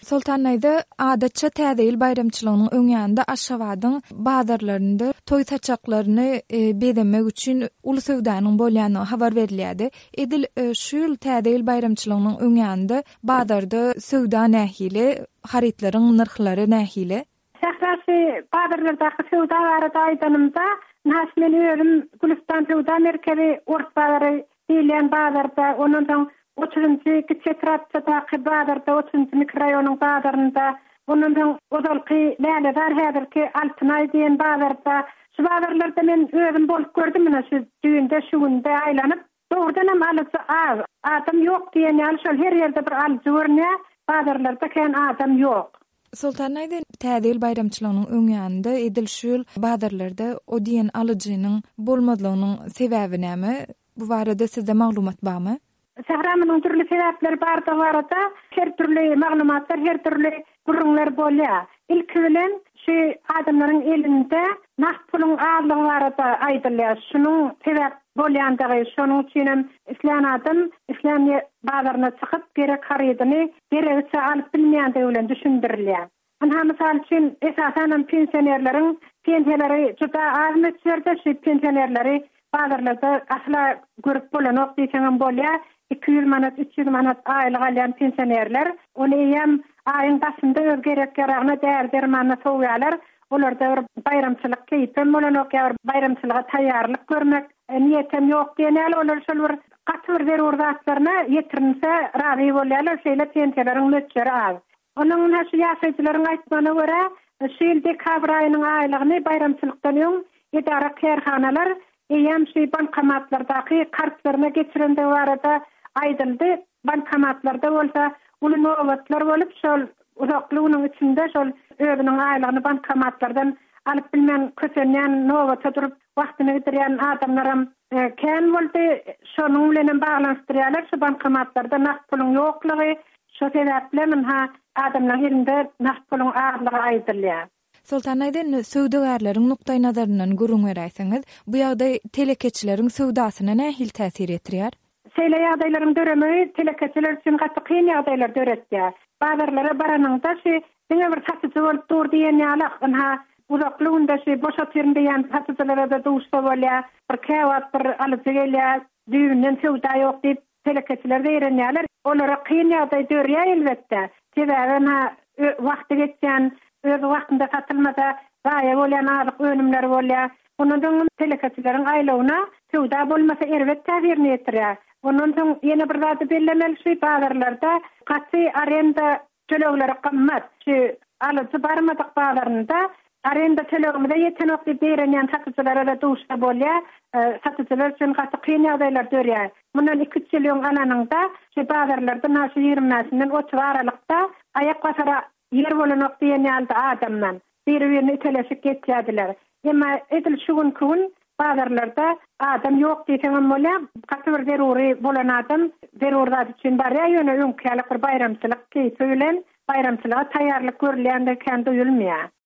Soltan daýza, adatça Täze ýyl baýramçylygynyň öň ýanynda Aşgabadyň bazarlarynda toý saçaklaryny bezemek üçin uly söwdanyň bolýandygy habar berilýärdi. Edil şu ýyl Täze ýyl baýramçylygynyň öň ýanynda bazarda söwda nähili, harytlaryň nyrhlary nähili? Sähra şu bazarlardaky söwda barada aýdanymda, ynha şu men özüm Gülüstan söwda merkezi, Ors bazary diýilýän bazarda, ondan soň otuzynjy kiçi etrapçadaky bazarda, otuzynjy mikroraýonyň bazarynda, ondan soň ozalky Lälezar häzirki Altynaý diýen bazarda, şu bazarlarda men özüm bolup gördüm, ynha şu düýnde, şu günde aýlanyp. Dogrudanam alyjy az. Adam ýok diýen ýaly şol her ýerde bir alyjy görünýär, bazarlarda kän adam ýok. Soltan daýza, Täze ýyl baýramçylygynyň öň ýanynda edil şu ýyl bazarlarda o diýen alyjynyň bolmazlygynyň sebäbi näme? Bu barada sizde maglumat barmy? Sähra munuň dürli sebäpleri bardygy barada her dürli maglumatlar, her dürli gürrüňler bolýar. Ilki bilen şu adamlaryň elinde nagt puluň azlygy barada aýdylýar. Şunuň sebäp bolýandygy, şonuň üçinem islän adam islän bazaryna çykyp gerek harydyny geregiçe alyp bilmeýändigi bilen düşündirilýär. Ynha, mysal üçin, esasanam pensionerleriň pensiýalary juda az möçberde, şu pensionerleri bazarlarda asla görüp bolanok diýseňem bolýar. 200 manat, 300 manat aýlyk alýan pensionerler, ony eýýäm aýyň başynda öz gerek-ýaragyna, däri-dermanyna sowýarlar. Olarda bir baýramçylyk keýpem bolanok ýa bir baýramçylyga taýýarlyk görmek niýetem ýok diýen ýaly, olar şol bir gaty bir zerur zatlaryna ýetirinse razy bolýarlar, şeýle pensiýalaryň möçberi az. Onuň ynha şu ýaşaýjylaryň aýtmagyna görä, şu ýyl dekabr aýynyň aýlygyny baýramçylykdan öň edara-kärhanalar eýýäm şu bankomatlardaky kartlaryna geçirendigi barada aýdyldy. Bankomatlarda bolsa uly nobatlar bolup, şol uzakly günüň içinde şol özüniň aýlygyny bankomatlardan alyp bilmän kösenýän, nobata durup wagtyny gidirýän adamlaram kän boldy. Şonuň bilenem baglanyşdyrýarlar, şu bankomatlarda nagt puluň ýoklugy, Şo sebäplem ynha adamlaryň elinde nagt puluň azlygy aýdylýar. Soltan daýza indi söwdagärleriň nukdaýnazaryndan gürrüň beräýseňiz, bu ýagdaý telekeçileriň söwdasyna nähili täsir ýetirýär? Şeýle ýagdaýlaryň döremegi telekeçiler üçin gaty kyn ýagdaýlar döretýär. Bazarlara baranyňda şu diňe bir satyjy bolup dur diýen ýaly, ynha uzakly günde şu boş otyryn diýýän satyjylara-da duşsa bolýar. Bir käwagt bir alyjy gelýär, düýbünden söwda ýok diýip Telekeçiler zeýrenýärler. Olara kyn ýagdaý dörýär elbetde. Sebäbi ynha wagty geçýän, öz wagtynda satylmasa zaýa bolýan azyk önümleri bolýar. Ondan soň telekeçileriň aýlawyna söwda bolmasa erbet täsirini ýetirýär. Ondan soň ýene bir zady bellemeli şu bazarlarda gaty arenda Tölegleri gymmat. Şu alyjy barmadyk bazarynda arenda tölegimize ýetenok diýip zeýrenýän satyjylara-da duşsa bolýar. Satyjylar üçin gaty kyn ýagdaýlar dörýär. Mundan iki-üç ýyl öň alanyňda, şu bazarlarda na şu 20 bäşinden 30 aralykda aýak basara ýer bolanok diýen ýalydy adamdan. Biri-birini iteleşip geçýärdiler. Emma edil şu günki gün bazarlarda adam ýok diýseňem bolýar. Gaty bir zerury bolan adam zerur zat üçin barýar, ýöne öňki ýaly bir baýramçylyk keýpi bilen baýramçylyga taýýarlyk görülýändigi kän duýulmaýar.